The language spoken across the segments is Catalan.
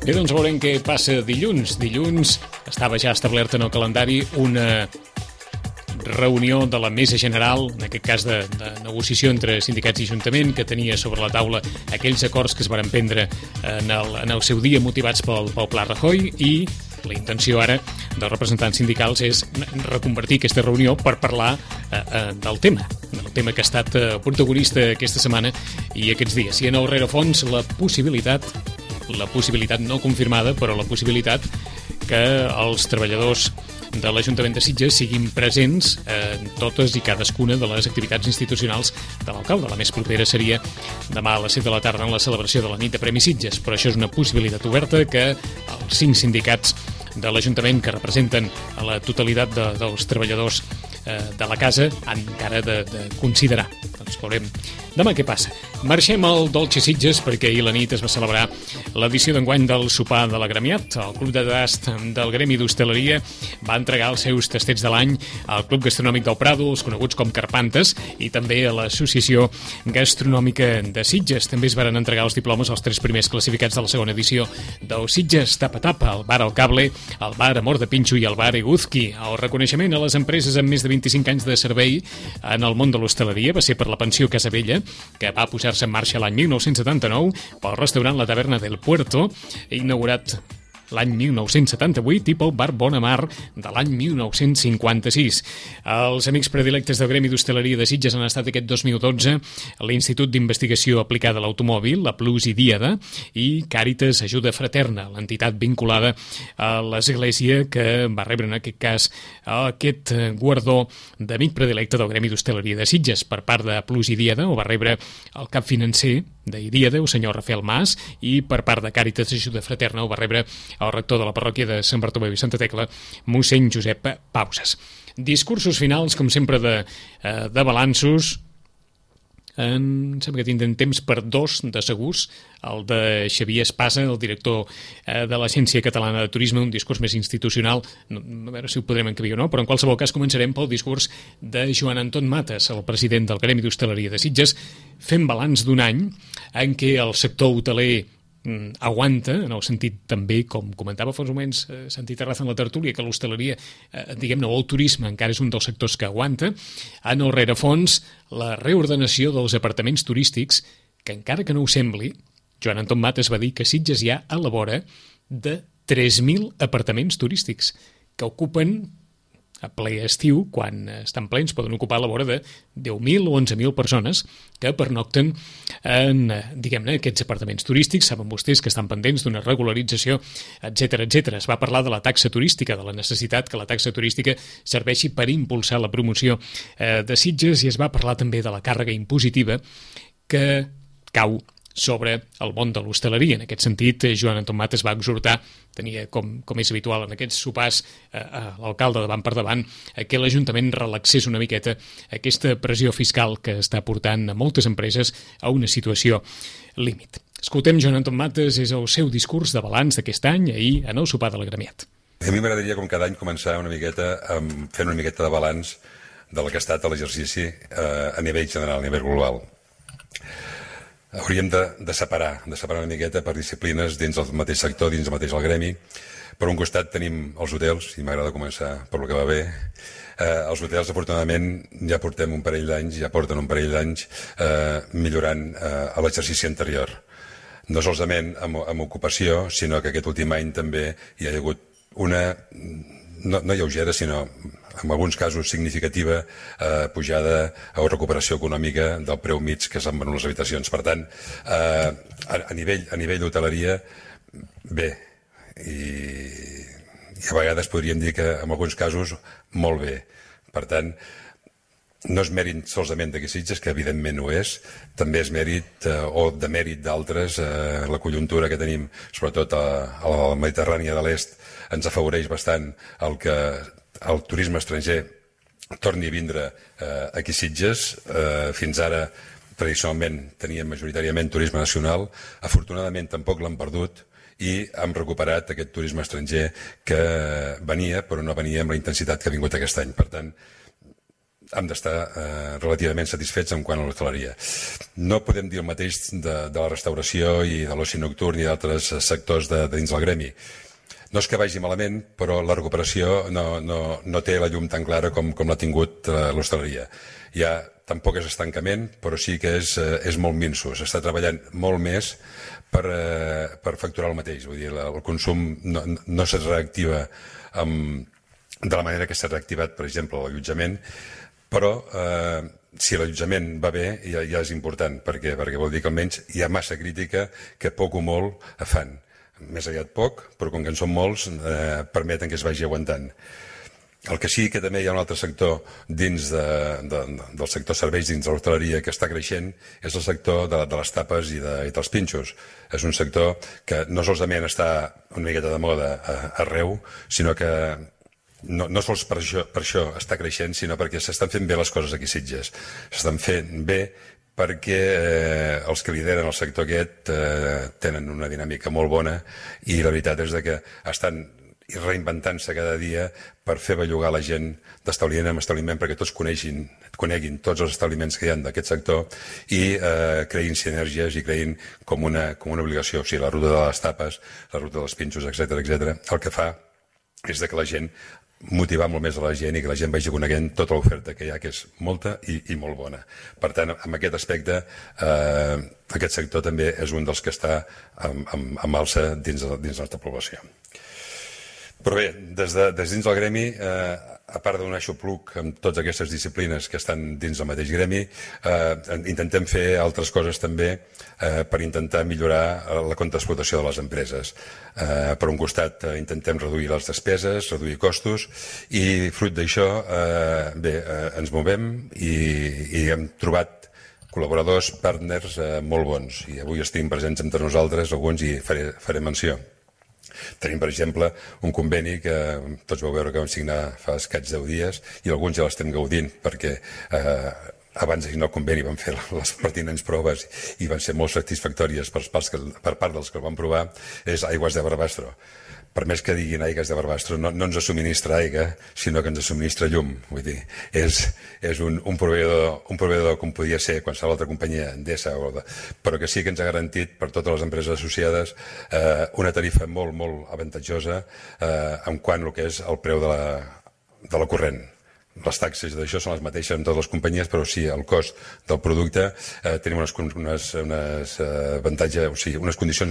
Bé, doncs veurem què passa dilluns. Dilluns estava ja establerta en el calendari una reunió de la Mesa General, en aquest cas de negociació entre sindicats i Ajuntament, que tenia sobre la taula aquells acords que es van prendre en el seu dia motivats pel Pla Rajoy, i la intenció ara dels representants sindicals és reconvertir aquesta reunió per parlar del tema que ha estat protagonista aquesta setmana i aquests dies. I en el rerefons la possibilitat no confirmada, però la possibilitat que els treballadors de l'Ajuntament de Sitges siguin presents en totes i cadascuna de les activitats institucionals de l'alcalde. La més propera seria demà a les 7 de la tarda en la celebració de la nit de Premi Sitges, però això és una possibilitat oberta que els 5 sindicats de l'Ajuntament que representen a la totalitat dels treballadors de la casa han encara de considerar. Doncs veurem demà què passa. Marxem al Dolce Sitges perquè ahir a la nit es va celebrar l'edició d'enguany del sopar de l'agremiat. El Club de Tast del Gremi d'Hostaleria va entregar els seus tastets de l'any al Club Gastronòmic del Prado, els coneguts com Carpantes, i també a l'Associació Gastronòmica de Sitges. També es van entregar els diplomes als 3 primers classificats de la segona edició del Sitges Tapa Tapa, el Bar El Cable, el Bar Amor de Pinxo i el Bar Eguzki. El reconeixement a les empreses amb més de 25 anys de servei en el món de l'hostaleria va ser per la pensió Casabella, que va posar-se en marxa l'any 1979 pel restaurant La Taverna del Puerto, inaugurat l'any 1978, i pel Bar Bonamar de l'any 1956. Els amics predilectes del Gremi d'Hostaleria de Sitges han estat aquest 2012 l'Institut d'Investigació Aplicada a l'Automòbil, la Plus i Díada, i Càritas Ajuda Fraterna, l'entitat vinculada a l'Església que va rebre en aquest cas aquest guardó d'amic predilecte del Gremi d'Hostaleria de Sitges. Per part de Plus i Díada ho va rebre el cap financer d'Iríada, el senyor Rafael Mas, i per part de Càritas Ajuda Fraterna ho va rebre el rector de la parròquia de Sant Bartomeu i Santa Tecla, mossèn Josep Pauses. Discursos finals, com sempre, de balanços. Em sembla que tindrem temps per 2 de segurs. El de Xavier Espasa, el director de l'Agència Catalana de Turisme, un discurs més institucional, a veure si ho podrem encabir o no, però en qualsevol cas començarem pel discurs de Joan Anton Mates, el president del Gremi d'Hostaleria de Sitges, fent balanç d'un any en què el sector hoteler aguanta, en el sentit també, com comentava fa uns moments Santi Terraza en la tertúlia, que l'hostaleria, diguem-ne, o el turisme encara és un dels sectors que aguanta. En el rerefons, la reordenació dels apartaments turístics, que encara que no ho sembli, Joan Anton Mates va dir que Sitges hi ha a la vora de 3.000 apartaments turístics que ocupen a ple estiu, quan estan plens, poden ocupar a la vora de 10.000 o 11.000 persones que pernocten en, diguem-ne, aquests apartaments turístics. Saben vostès que estan pendents d'una regularització, etc etc. Es va parlar de la taxa turística, de la necessitat que la taxa turística serveixi per impulsar la promoció de Sitges, i es va parlar també de la càrrega impositiva que cau sobre el món de l'hostaleria. En aquest sentit, Joan Anton Mates va exhortar, tenia com és habitual en aquests sopars a l'alcalde davant per davant, que l'Ajuntament relaxés una miqueta aquesta pressió fiscal que està portant a moltes empreses a una situació límit. Escoltem Joan Anton Mates, és el seu discurs de balanç d'aquest any, ahir en el sopar de l'agremiat. A mi m'agradaria, com cada any, començar una miqueta fent una miqueta de balanç del que ha estat l'exercici a nivell general, a nivell global. Hauríem de separar una miqueta per disciplines dins del mateix sector, dins del mateix el gremi. Per un costat tenim els hotels, i m'agrada començar per lo que va bé. Els hotels, afortunadament, ja porten un parell d'anys millorant a l'exercici anterior. No solament amb ocupació, sinó que aquest últim any també hi ha hagut una, no lleugera, sinó en alguns casos significativa pujada o recuperació econòmica del preu mig que s'han venut les habitacions. Per tant, a nivell d'hoteleria, bé, i a vegades podríem dir que en alguns casos molt bé. Per tant, no és mèrit solament d'aquí Sitges, que evidentment ho és, també és mèrit o de mèrit d'altres. La conjuntura que tenim, sobretot a la Mediterrània de l'Est, ens afavoreix bastant el que el turisme estranger torni a vindre aquí a Sitges. Fins ara, tradicionalment, teníem majoritàriament turisme nacional. Afortunadament, tampoc l'han perdut i hem recuperat aquest turisme estranger que venia, però no venia amb la intensitat que ha vingut aquest any. Per tant, hem d'estar relativament satisfets en quant a l'hostaleria. No podem dir el mateix de la restauració i de l'oci nocturn i d'altres sectors de dins del gremi. No és que vagi malament, però la recuperació no té la llum tan clara com l'ha tingut l'hostaleria. Tampoc és estancament, però sí que és molt minso. S'està treballant molt més per facturar el mateix. Vull dir, el consum no se reactiva de la manera que s'ha reactivat, per exemple, l'allotjament, però si l'allotjament va bé ja és important, perquè vol dir que almenys hi ha massa crítica que poc o molt fan. Més aviat poc, però com que en són molts, permeten que es vagi aguantant. El que sí que també hi ha un altre sector dins del sector serveis, dins de l'hostaleria, que està creixent, és el sector de les tapes i dels pinxos. És un sector que no solament està una miqueta de moda arreu, sinó que no sols per això està creixent, sinó perquè s'estan fent bé les coses aquí a Sitges. S'estan fent bé perquè els que lideren el sector aquest tenen una dinàmica molt bona i la veritat és que estan reinventant-se cada dia per fer bellugar la gent d'establiment en establiment perquè tots coneguin tots els establiments que hi ha d'aquest sector i creïn sinergies i creïn com una obligació. O sigui, la ruta de les tapes, la ruta dels pinxos, etc. El que fa és que la gent motivar molt més a la gent i que la gent vagi coneguent tota l'oferta que hi ha, que és molta i molt bona. Per tant, en aquest aspecte, aquest sector també és un dels que està amb alça dins la nostra població. Però bé, des dins del gremi, a part d'un aixopluc amb totes aquestes disciplines que estan dins del mateix gremi, intentem fer altres coses també per intentar millorar la contraexplotació de les empreses. Per un costat, intentem reduir les despeses, reduir costos, i fruit d'això, bé, ens movem i hem trobat col·laboradors, partners molt bons. I avui estem presents entre nosaltres, alguns, i faré menció. Tenim, per exemple, un conveni que tots vau veure que vam signar fa escaig 10 dies i alguns ja l'estem gaudint perquè abans de signar el conveni vam fer les pertinents proves i van ser molt satisfactòries per part dels que el van provar. És Aigües de Barbastro. Per més que diguin Aigües de Barbastro, no ens subministra aigua, sinó que ens subministra llum. Vull dir, és un proveïdor com podia ser qualsevol altra companyia Endesa, però que sí que ens ha garantit per totes les empreses associades una tarifa molt, molt avantatjosa en quant al que és el preu de la corrent. Les taxes d'això són les mateixes en totes les companyies, però sí, el cost del producte tenim unes condicions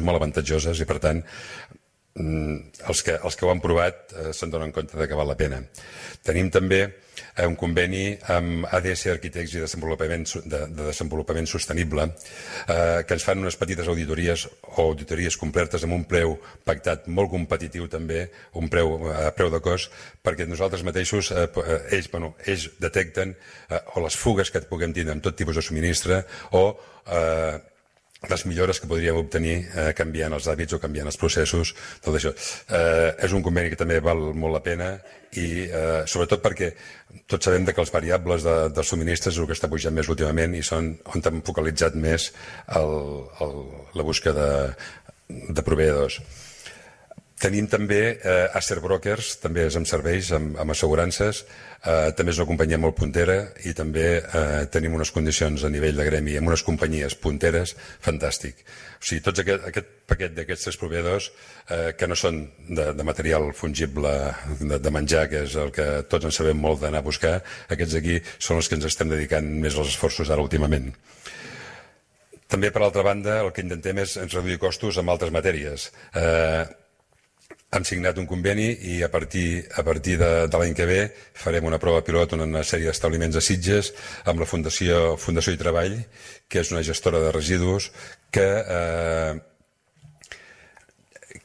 molt avantatjoses i, per tant, els que ho han provat se'n donen compte que val la pena. Tenim també un conveni amb ADS Arquitects i de Desenvolupament Sostenible que ens fan unes petites auditories o auditories completes amb un preu pactat molt competitiu també, un preu a preu de cost, perquè nosaltres mateixos ells detecten o les fugues que puguem tindre amb tot tipus de subministre o les millores que podríem obtenir canviant els hàbits o canviant els processos, tot això. És un conveni que també val molt la pena i sobretot perquè tots sabem que els variables dels subministres és el que està pujant més últimament i són on hem focalitzat més la búsqueda de proveïdors. Tenim també Acer Brokers, també és amb serveis, amb assegurances, també és una companyia molt puntera i també tenim unes condicions a nivell de gremi amb unes companyies punteres fantàstic. O sigui, tot aquest paquet d'aquests 3 proveïdors que no són de material fungible de menjar, que és el que tots en sabem molt d'anar a buscar, aquests aquí són els que ens estem dedicant més als esforços ara últimament. També, per altra banda, el que intentem és reduir costos en altres matèries. Hem signat un conveni i a partir de l'any que ve farem una prova pilot en una sèrie d'establiments a Sitges amb la Fundació i Treball, que és una gestora de residus que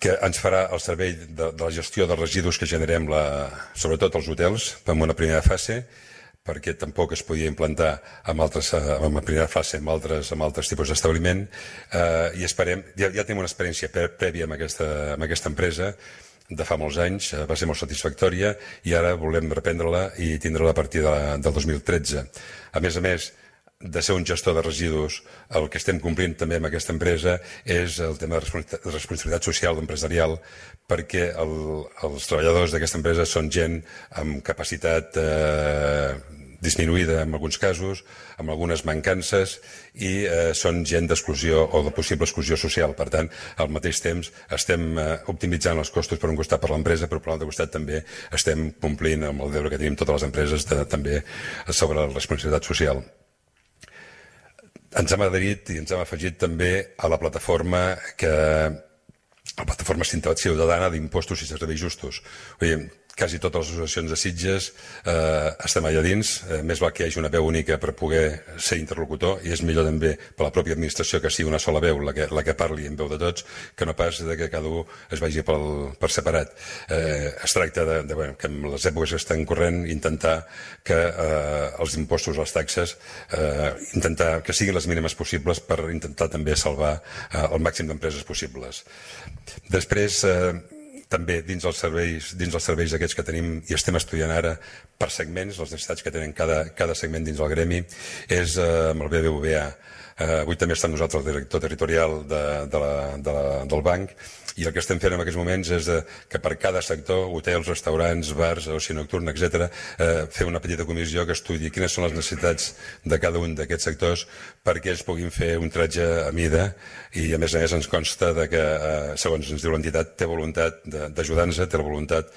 ens farà el servei de la gestió dels residus que generem sobretot als hotels en una primera fase, perquè tampoc es podia implantar en la primera fase amb altres tipus d'establiment i esperem, ja tenim una experiència prèvia amb aquesta empresa de fa molts anys, va ser molt satisfactòria i ara volem reprendre-la i tindre-la a partir del 2013. A més, de ser un gestor de residus, el que estem complint també amb aquesta empresa és el tema de responsabilitat social o empresarial, perquè els treballadors d'aquesta empresa són gent amb capacitat disminuïda en alguns casos, amb algunes mancances, i són gent d'exclusió o de possible exclusió social. Per tant, al mateix temps estem optimitzant els costos per un costat per l'empresa, però per l'altre costat també estem complint amb el deure que tenim totes les empreses també sobre la responsabilitat social. Ens hem adherit i ens hem afegit també a la plataforma ciutadana d'impostos i serveis justos. Quasi totes les associacions de Sitges estem allà dins, més val que hi hagi una veu única per poder ser interlocutor, i és millor també per la pròpia administració que sigui una sola veu la que parli en veu de tots, que no pas que cada un es vagi per separat. Es tracta que en les èpoques que estan corrent intentar que els impostos, les taxes, intentar que siguin les mínimes possibles per intentar també salvar el màxim d'empreses possibles. Després, també dins els serveis aquests que tenim i estem estudiant ara per segments, les necessitats que tenen cada segment dins el gremi, és amb el BBVA. Avui també està amb nosaltres el director territorial del banc, i el que estem fent en aquests moments és que per cada sector, hotels, restaurants, bars, oci nocturn, etc., fer una petita comissió que estudi quines són les necessitats de cada un d'aquests sectors perquè ells puguin fer un tratge a mida, i a més ens consta que, segons ens diu l'entitat, té voluntat d'ajudar-nos, té la voluntat,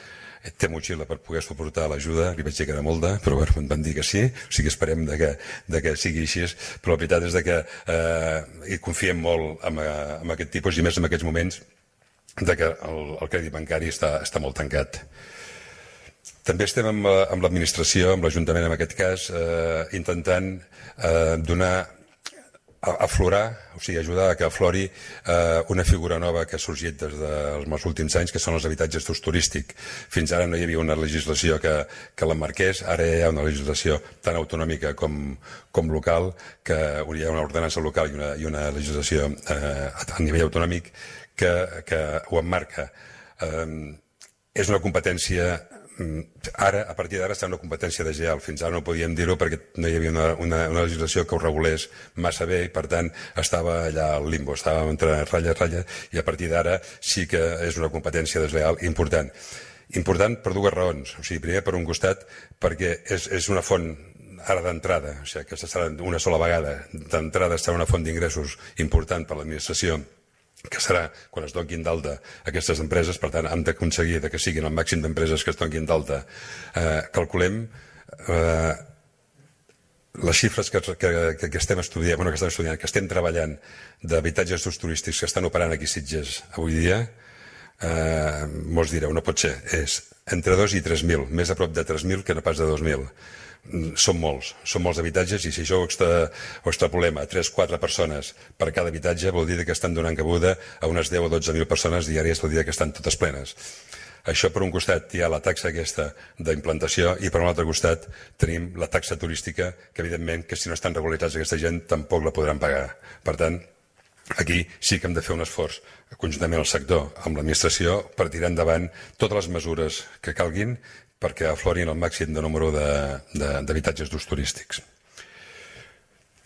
té motxilla per poder suportar l'ajuda. Li vaig dir que era molta, però em van dir que sí, o sigui, esperem que sigui així, però la veritat és que hi confiem molt en aquest tipus, i més en aquests moments que el crèdit bancari està molt tancat. També estem amb l'administració, amb l'Ajuntament en aquest cas, intentant aflorar, o sigui, ajudar a que aflori una figura nova que ha sorgit des dels últims anys, que són els habitatges d'ús turístic. Fins ara no hi havia una legislació que l'emmarqués, ara hi ha una legislació tan autonòmica com local, que hi ha una ordenança local i una legislació a nivell autonòmic que ho emmarca. És una competència, ara, a partir d'ara, està una competència desleal. Fins ara no podíem dir-ho perquè no hi havia una legislació que ho regulés massa bé, i per tant estava allà al limbo, estava entre ratlla, i a partir d'ara sí que és una competència desleal important. Important per dues raons. O sigui, primer, per un costat, perquè és una font ara d'entrada, o sigui, que serà una sola vegada d'entrada, serà una font d'ingressos important per l'administració, que serà quan es donin d'alta aquestes empreses. Per tant, hem d'aconseguir que siguin el màxim d'empreses que es donin d'alta. Calculem les xifres que estem estudiant, que estem treballant d'habitatges d'ús turístics que estan operant aquí a Sitges avui dia. Molts direu, no pot ser, és entre 2 i 3.000, més a prop de 3.000 que no pas de 2.000. Són molts habitatges, i si això ho extrapolem a 3-4 persones per cada habitatge, vol dir que estan donant cabuda a unes 10 o 12.000 persones diàries, vol dir que estan totes plenes. Això, per un costat, hi ha la taxa aquesta d'implantació, i per un altre costat tenim la taxa turística, que evidentment que si no estan regularitzats aquesta gent tampoc la podran pagar. Per tant, aquí sí que hem de fer un esforç conjuntament al sector, amb l'administració, per tirar endavant totes les mesures que calguin perquè aflorin el màxim de número d'habitatges d'ús turístics.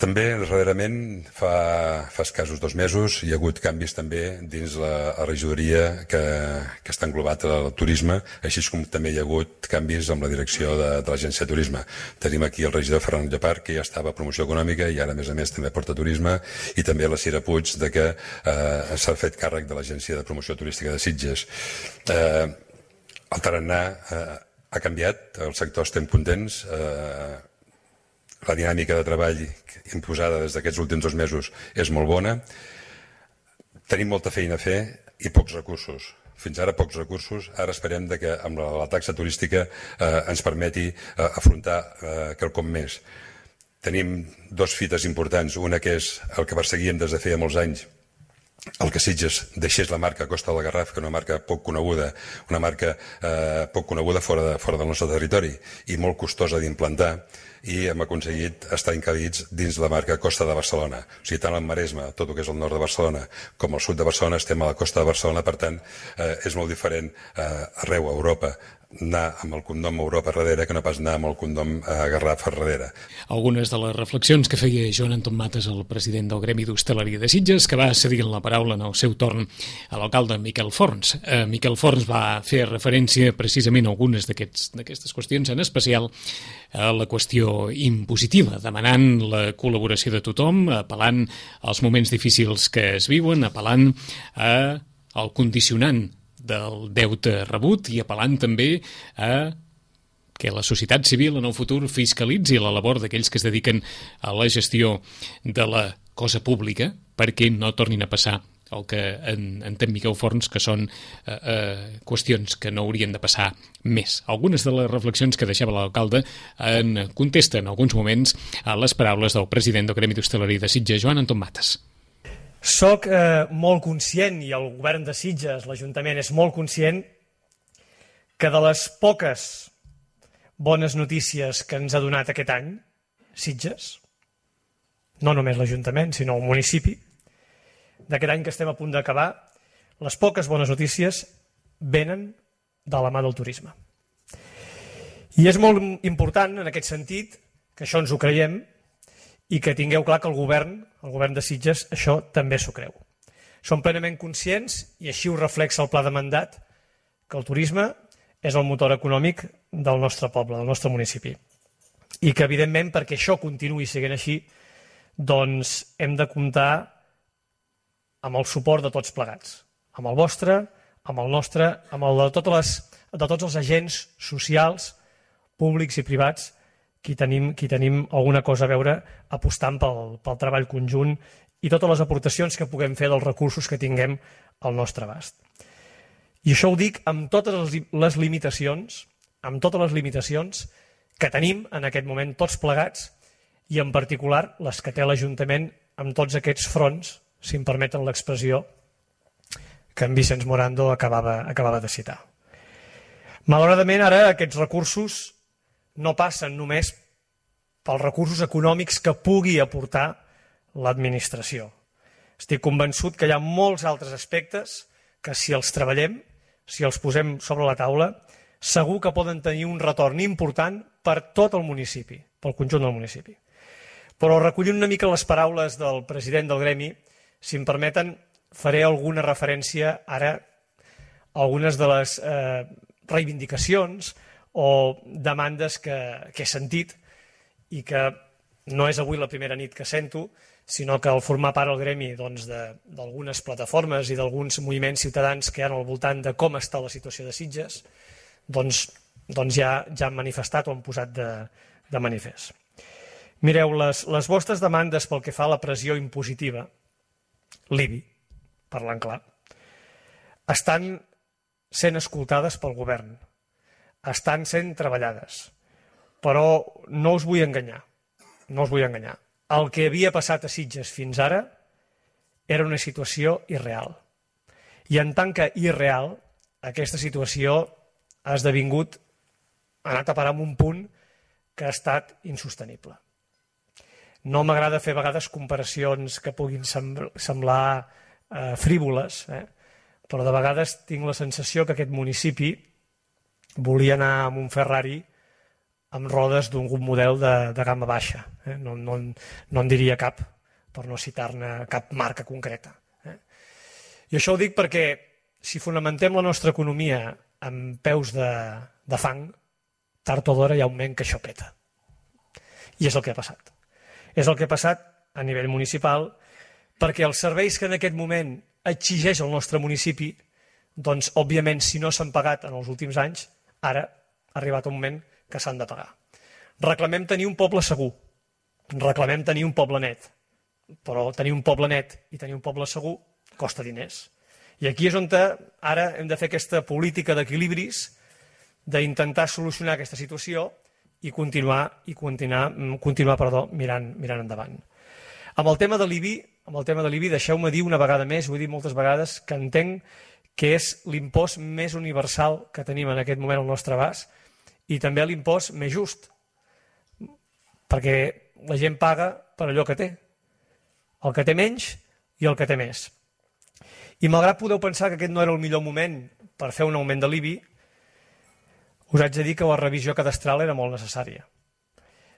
També, darrerament, fa escassos 2 mesos, hi ha hagut canvis també dins la regidoria que està englobat al turisme, així com també hi ha hagut canvis amb la direcció de l'Agència de Turisme. Tenim aquí el regidor Ferran Llepar, que ja estava a Promoció Econòmica i ara, a més també porta Turisme, i també la Cira Puig, que s'ha fet càrrec de l'Agència de Promoció Turística de Sitges. El tarannà ha canviat, el sector estem contents, la dinàmica de treball imposada des d'aquests últims 2 mesos és molt bona. Tenim molta feina a fer i pocs recursos. Fins ara pocs recursos. Ara esperem que amb la taxa turística ens permeti afrontar quelcom més. Tenim 2 fites importants. Una que és el que perseguíem des de feia molts anys, el que Sitges deixés la marca Costa del Garraf, que és una marca poc coneguda, una marca poc coneguda fora del nostre territori i molt costosa d'implantar, i hem aconseguit estar encabits dins la marca Costa de Barcelona. O sigui, tant al Maresme, tot el que és el nord de Barcelona, com al sud de Barcelona, estem a la costa de Barcelona. Per tant, és molt diferent arreu a Europa anar amb el cognom Europa darrere que no pas anar amb el cognom Garraf darrere. Algunes de les reflexions que feia Joan Anton Matas, el president del Gremi d'Hostaleria de Sitges, que va cedir la paraula en el seu torn a l'alcalde Miquel Forns. Miquel Forns va fer referència precisament a algunes d'aquestes qüestions, en especial a la qüestió impositiva, demanant la col·laboració de tothom, apel·lant als moments difícils que es viuen, apel·lant al condicionant del deute rebut i apel·lant també a que la societat civil en el futur fiscalitzi la labor d'aquells que es dediquen a la gestió de la cosa pública perquè no tornin a passar el que entén Miquel Forns, que són qüestions que no haurien de passar més. Algunes de les reflexions que deixava l'alcalde en contesta en alguns moments a les paraules del president del Gremi d'Hostaleria de Sitges, Joan Anton Matas. Soc molt conscient, i el govern de Sitges, l'Ajuntament, és molt conscient que de les poques bones notícies que ens ha donat aquest any, Sitges, no només l'Ajuntament, sinó el municipi, d'aquest any que estem a punt d'acabar, les poques bones notícies venen de la mà del turisme. I és molt important, en aquest sentit, que això ens ho creiem, i que tingueu clar que el govern de Sitges, això també s'ho creu. Som plenament conscients, i així ho reflexa el pla de mandat, que el turisme és el motor econòmic del nostre poble, del nostre municipi. I que, evidentment, perquè això continuï sent així, doncs hem de comptar amb el suport de tots plegats, amb el vostre, amb el nostre, amb el de tots els agents socials, públics i privats, qui tenim alguna cosa a veure apostant pel treball conjunt i totes les aportacions que puguem fer dels recursos que tinguem al nostre abast. I això ho dic amb totes les limitacions, que tenim en aquest moment tots plegats i en particular les que té l'Ajuntament amb tots aquests fronts, si em permeten l'expressió, que en Vicenç Morando acabava de citar. Malauradament, ara aquests recursos no passen només pels recursos econòmics que pugui aportar l'administració. Estic convençut que hi ha molts altres aspectes que si els treballem, si els posem sobre la taula, segur que poden tenir un retorn important per tot el municipi, pel conjunt del municipi. Però recollint una mica les paraules del president del Gremi, si em permeten, faré alguna referència ara a algunes de les reivindicacions o demandes que he sentit i que no és avui la primera nit que sento, sinó que al formar part del Gremi d'algunes plataformes i d'alguns moviments ciutadans que hi ha al voltant de com està la situació de Sitges, doncs ja han manifestat o han posat de manifest. Mireu, les vostres demandes pel que fa a la pressió impositiva, l'IBI, parlant clar, estan sent escoltades pel govern, estan sent treballades, però no us vull enganyar, El que havia passat a Sitges fins ara era una situació irreal. I en tant que irreal, aquesta situació ha esdevingut, ha anat a parar en un punt que ha estat insostenible. No m'agrada fer a vegades comparacions que puguin semblar frívoles, però de vegades tinc la sensació que aquest municipi volia anar amb un Ferrari amb rodes d'un model de gamma baixa. No en diria cap, per no citar-ne cap marca concreta. I això ho dic perquè si fonamentem la nostra economia amb peus de fang, tard o d'hora hi ha un moment que això peta. I és el que ha passat. És el que ha passat a nivell municipal perquè els serveis que en aquest moment exigeix el nostre municipi, doncs, òbviament, si no s'han pagat en els últims anys, ara ha arribat un moment que s'han de pagar. Reclamem tenir un poble segur, reclamem tenir un poble net, però tenir un poble net i tenir un poble segur costa diners. I aquí és on ara hem de fer aquesta política d'equilibris, d'intentar solucionar aquesta situació i continuar mirant endavant. Amb el tema de l'IBI, deixeu-me dir una vegada més, ho he dit moltes vegades, que entenc que és l'impost més universal que tenim en aquest moment al nostre abast i també l'impost més just, perquè la gent paga per allò que té, el que té menys i el que té més. I malgrat podeu pensar que aquest no era el millor moment per fer un augment de l'IBI, us haig de dir que la revisió cadastral era molt necessària.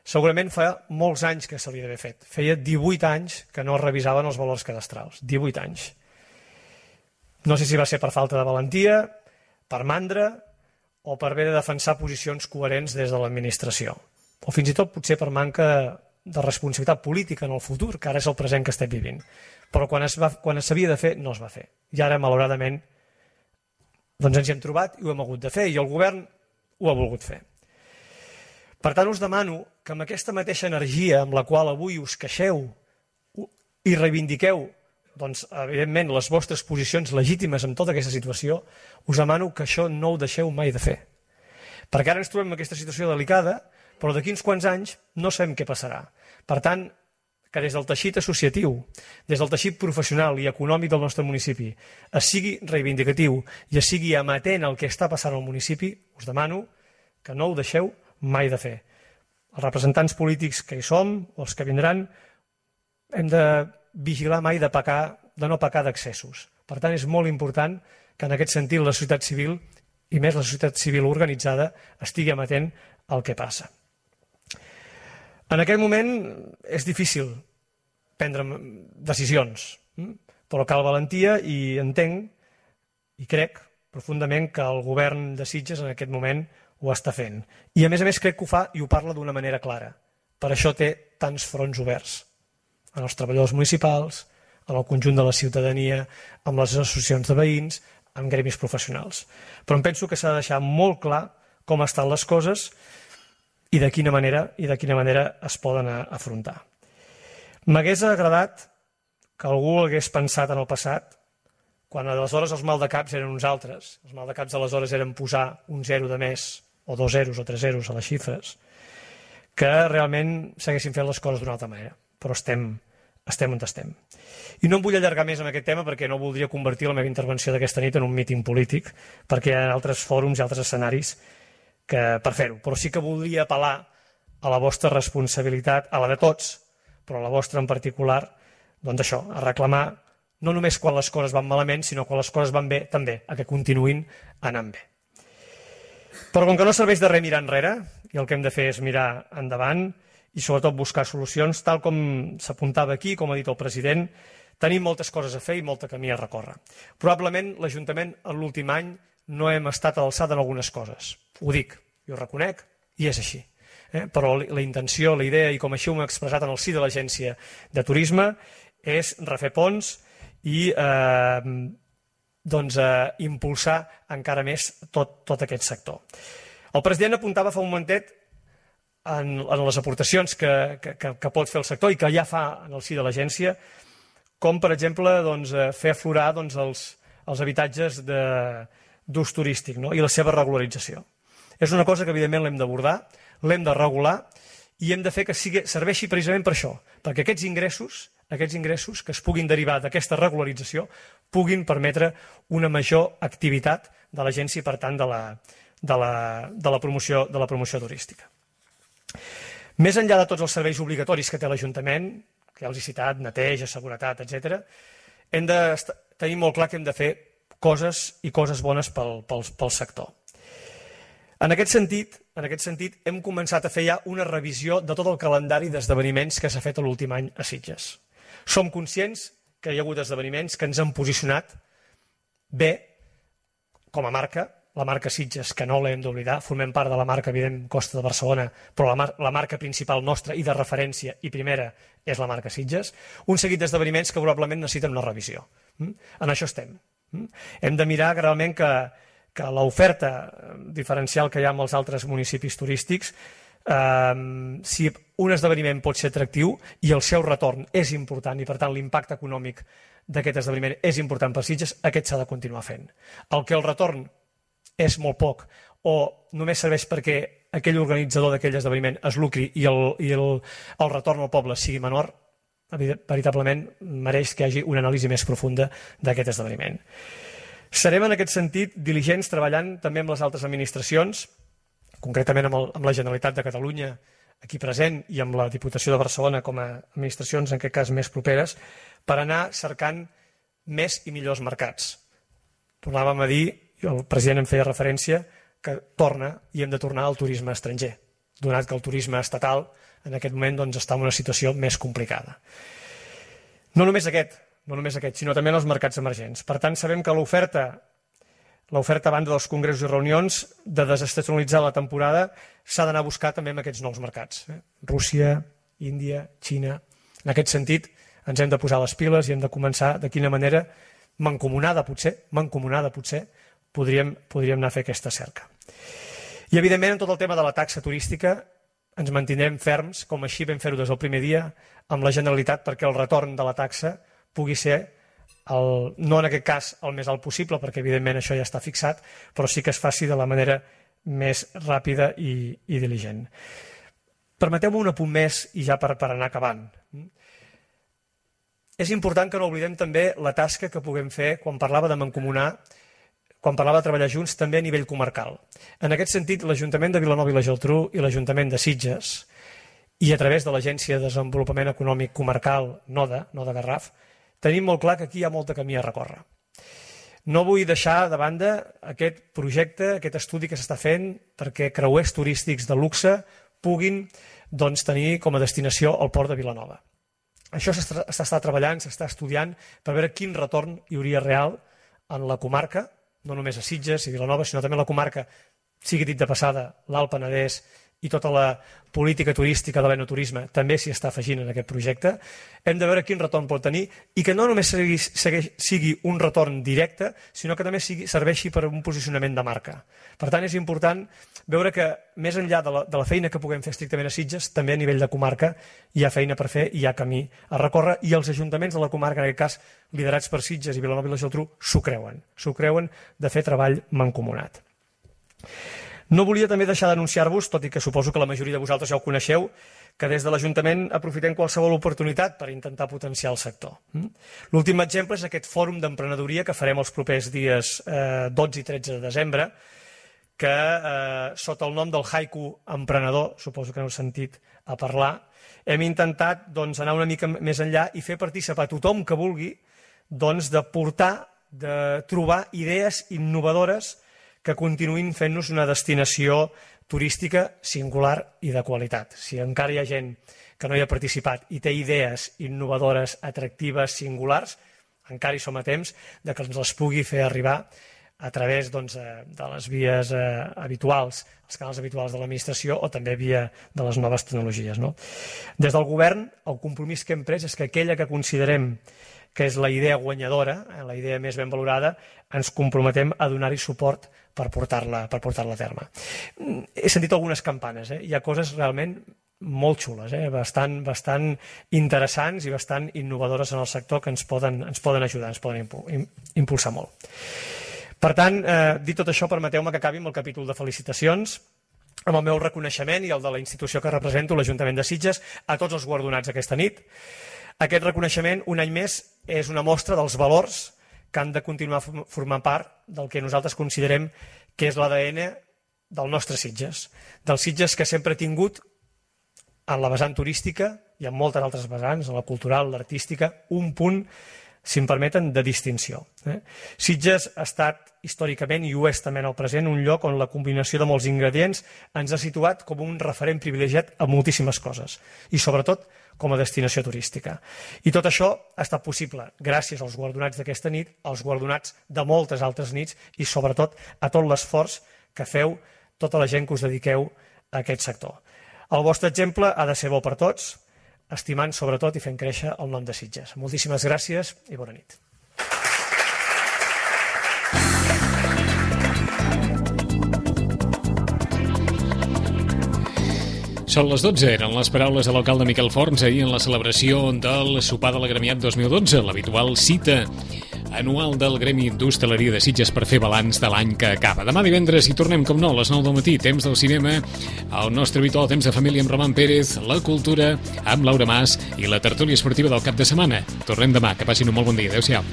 Segurament fa molts anys que se li havia fet. Feia 18 anys que no es revisaven els valors cadastrals. 18 anys. No sé si va ser per falta de valentia, per mandra o per haver de defensar posicions coherents des de l'administració. O fins i tot potser per manca de responsabilitat política en el futur, que ara és el present que estem vivint. Però quan s'havia de fer, no es va fer. I ara, malauradament, doncs ens hi hem trobat i ho hem hagut de fer, i el govern ho ha volgut fer. Per tant, us demano que amb aquesta mateixa energia amb la qual avui us queixeu i reivindiqueu, doncs, evidentment, les vostres posicions legítimes en tota aquesta situació, us demano que això no ho deixeu mai de fer. Perquè ara ens trobem en aquesta situació delicada, però d'aquí uns quants anys no sabem què passarà. Per tant, que des del teixit associatiu, des del teixit professional i econòmic del nostre municipi, es sigui reivindicatiu i es sigui amatent al que està passant al municipi, us demano que no ho deixeu mai de fer. Els representants polítics que hi som, o els que vindran, hem de vigilar mai de no pecar d'excessos. Per tant, és molt important que en aquest sentit la societat civil, i més la societat civil organitzada, estigui amatent al que passa. En aquest moment és difícil prendre decisions, però cal valentia i entenc i crec profundament que el govern de Sitges en aquest moment ho està fent. I a més crec que ho fa i ho parla d'una manera clara. Per això té tants fronts oberts en els treballadors municipals, en el conjunt de la ciutadania, amb les associacions de veïns, amb gremis professionals. Però em penso que s'ha de deixar molt clar com estan les coses i de quina manera es poden afrontar. M'hagués agradat que algú hagués pensat en el passat, quan aleshores els maldecaps eren uns altres, els maldecaps aleshores eren posar un 0 de més, o 2 zeros o 3 zeros a les xifres, que realment s'haguessin fet les coses d'una altra manera. Però estem on estem. I no em vull allargar més en aquest tema perquè no voldria convertir la meva intervenció d'aquesta nit en un míting polític, perquè hi ha altres fòrums i altres escenaris per fer-ho. Però sí que voldria apel·lar a la vostra responsabilitat, a la de tots, però a la vostra en particular, doncs això, a reclamar no només quan les coses van malament, sinó quan les coses van bé també, a que continuïn anant bé. Però com que no serveix de res mirar enrere, i el que hem de fer és mirar endavant i sobretot buscar solucions, tal com s'apuntava aquí, com ha dit el president, tenim moltes coses a fer i molt camí a recórrer. Probablement l'Ajuntament en l'últim any no hem estat a l'alçada en algunes coses. Ho dic, i ho reconec, i és així. Però la intenció, la idea, i com així ho hem expressat en el si de l'Agència de Turisme, és refer ponts i impulsar encara més tot aquest sector. El president apuntava fa un momentet en les aportacions que pot fer el sector i que ja fa en el si de l'agència, com per exemple fer aflorar els habitatges d'ús turístic i la seva regularització. És una cosa que evidentment l'hem d'abordar, l'hem de regular i hem de fer que serveixi precisament per això, perquè aquests ingressos que es puguin derivar d'aquesta regularització puguin permetre una major activitat de l'agència i per tant de la promoció turística. Més enllà de tots els serveis obligatoris que té l'Ajuntament, que ja els he citat, neteja, seguretat, etc., hem de tenir molt clar que hem de fer coses i coses bones pel sector. En aquest sentit, hem començat a fer ja una revisió de tot el calendari d'esdeveniments que s'ha fet l'últim any a Sitges. Som conscients que hi ha hagut esdeveniments que ens han posicionat bé com a marca, la marca Sitges, que no l'hem d'oblidar, formem part de la marca, evident, Costa de Barcelona, però la marca principal nostra i de referència i primera és la marca Sitges, un seguit d'esdeveniments que probablement necessiten una revisió. En això estem. Hem de mirar realment que l'oferta diferencial que hi ha amb els altres municipis turístics, si un esdeveniment pot ser atractiu i el seu retorn és important i per tant l'impacte econòmic d'aquest esdeveniment és important per Sitges, aquest s'ha de continuar fent. El que el retorn és molt poc o només serveix perquè aquell organitzador d'aquell esdeveniment es lucri i el retorn al poble sigui menor, veritablement mereix que hi hagi una anàlisi més profunda d'aquest esdeveniment. Serem en aquest sentit diligents treballant també amb les altres administracions, concretament amb la Generalitat de Catalunya aquí present i amb la Diputació de Barcelona com a administracions en aquest cas més properes, per anar cercant més i millors mercats. Tornàvem a dir, i el president en feia referència, que torna i hem de tornar al turisme estranger, donat que el turisme estatal en aquest moment doncs, està en una situació més complicada. No només aquest, sinó també en els mercats emergents. Per tant, sabem que l'oferta a banda dels congressos i reunions de desestacionalitzar la temporada s'ha d'anar a buscar també en aquests nous mercats. Rússia, Índia, Xina. En aquest sentit, ens hem de posar les piles i hem de començar de quina manera, mancomunada potser, podríem anar a fer aquesta cerca. I, evidentment, en tot el tema de la taxa turística ens mantindrem ferms, com així vam fer-ho des del primer dia, amb la Generalitat perquè el retorn de la taxa pugui ser, no en aquest cas el més alt possible, perquè evidentment això ja està fixat, però sí que es faci de la manera més ràpida i diligent. Permeteu-me un apunt més i ja per anar acabant. És important que no oblidem també la tasca que puguem fer quan parlava de mancomunar, quan parlava de treballar junts també a nivell comarcal. En aquest sentit, l'Ajuntament de Vilanova i la Geltrú i l'Ajuntament de Sitges i a través de l'Agència de Desenvolupament Econòmic Comarcal NODA Garraf, tenim molt clar que aquí hi ha molt de camí a recórrer. No vull deixar de banda aquest projecte, aquest estudi que s'està fent perquè creuers turístics de luxe puguin tenir com a destinació el port de Vilanova. Això s'està treballant, s'està estudiant per veure quin retorn hi hauria real en la comarca, no només a Sitges i Vilanova, sinó també a la comarca, sigui dit de passada, l'Alt Penedès i tota la política turística de l'enoturisme també s'hi està afegint en aquest projecte. Hem de veure quin retorn pot tenir i que no només sigui un retorn directe, sinó que també serveixi per un posicionament de marca. Per tant, és important veure que més enllà de la feina que puguem fer estrictament a Sitges, també a nivell de comarca hi ha feina per fer i hi ha camí a recórrer i els ajuntaments de la comarca, en aquest cas liderats per Sitges i Vilanova i la Geltrú, s'ho creuen de fer treball mancomunat. No volia també deixar d'anunciar-vos, tot i que suposo que la majoria de vosaltres ja ho coneixeu, que des de l'Ajuntament aprofitem qualsevol oportunitat per intentar potenciar el sector. L'últim exemple és aquest fòrum d'emprenedoria que farem els propers dies 12 i 13 de desembre, que sota el nom del Haiku Emprenedor, suposo que n'heu sentit a parlar, hem intentat anar una mica més enllà i fer participar tothom que vulgui de portar, de trobar idees innovadores que continuïn fent-nos una destinació turística singular i de qualitat. Si encara hi ha gent que no hi ha participat i té idees innovadores, atractives, singulars, encara hi som a temps de que ens les pugui fer arribar a través de les vies habituals, els canals habituals de l'administració o també via de les noves tecnologies. Des del govern, el compromís que hem pres és que aquella que considerem que és la idea guanyadora, la idea més ben valorada, ens comprometem a donar-hi suport per portar-la a terme. He sentit algunes campanes, hi ha coses realment molt xules, bastant interessants i bastant innovadores en el sector que ens poden ajudar, ens poden impulsar molt. Per tant, dit tot això, permeteu-me que acabi amb el capítol de felicitacions, amb el meu reconeixement i el de la institució que represento, l'Ajuntament de Sitges, a tots els guardonats aquesta nit. Aquest reconeixement, un any més, és una mostra dels valors que han de continuar formant part del que nosaltres considerem que és l'ADN del nostre Sitges, del Sitges que sempre ha tingut en la vessant turística i en moltes altres vessants, en la cultural, l'artística, un punt, si em permeten, de distinció. Sitges ha estat històricament, i ho és també en el present, un lloc on la combinació de molts ingredients ens ha situat com un referent privilegiat a moltíssimes coses, i sobretot com a destinació turística. I tot això ha estat possible gràcies als guardonats d'aquesta nit, als guardonats de moltes altres nits i sobretot a tot l'esforç que feu tota la gent que us dediqueu a aquest sector. El vostre exemple ha de ser bo per tots, estimant sobretot i fent créixer el nom de Sitges. Moltíssimes gràcies i bona nit. Són les 12, eren les paraules de l'alcalde Miquel Forns ahir en la celebració del sopar de l'Agremiat 2012, l'habitual cita anual del Gremi d'Hostaleria de Sitges per fer balanç de l'any que acaba. Demà divendres hi tornem, com no, a les 9 del matí, temps del cinema, el nostre habitual temps de família amb Roman Pérez, la cultura amb Laura Mas i la tertúlia esportiva del cap de setmana. Tornem demà, que passin un molt bon dia. Adéu-siau.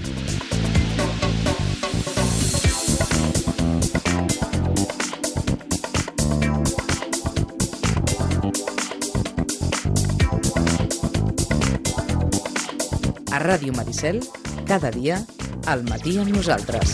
A Ràdio Maricel, cada dia, al matí amb nosaltres.